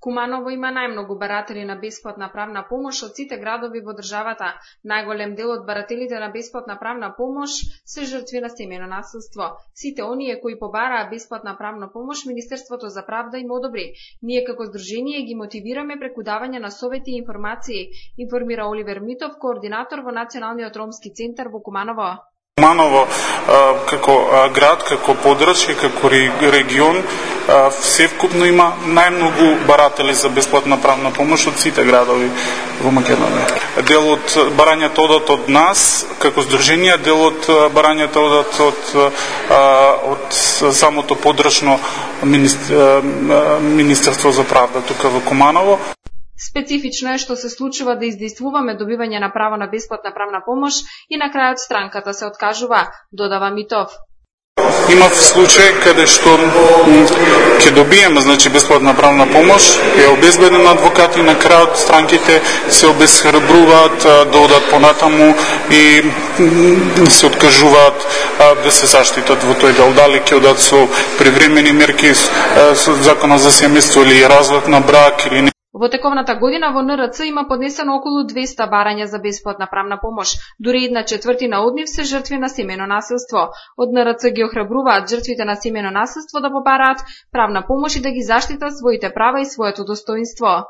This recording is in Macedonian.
Куманово има најмногу баратели на бесплатна правна помош од сите градови во државата. Најголем дел од барателите на бесплатна правна помош се жртви на семејно насилство. Сите оние кои побараа бесплатна правна помош, Министерството за правда им одобри. Ние како здружение ги мотивираме преку давање на совети и информации, информира Оливер Митов, координатор во Националниот ромски центар во Куманово. Куманово како град, како подрачје, како регион, севкупно има најмногу баратели за бесплатна правна помош од сите градови во Македонија. Дел од барањата одат од нас, како здружение, дел од барањата одат од самото подрачно Министерство за правда тука во Куманово. Специфично е што се случува да издействуваме добивање на право на бесплатна правна помош и на крајот странката се откажува, додава Митов. Има случај каде што ќе добиеме бесплатна правна помош, е обезбеден адвокат и на крајот странките се обесхрабруваат да одат понатаму и се откажуваат да се заштитат во тој дел. Дали ќе одат со привремени мерки со законот за семејство или развод на брак или не. Во тековната година во НРЦ има поднесено околу 200 барања за бесплатна правна помош. Дури 1/4 од нив се жртви на семејно насилство. Од НРЦ ги охрабруваат жртвите на семејно насилство да побараат правна помош и да ги заштитат своите права и своето достоинство.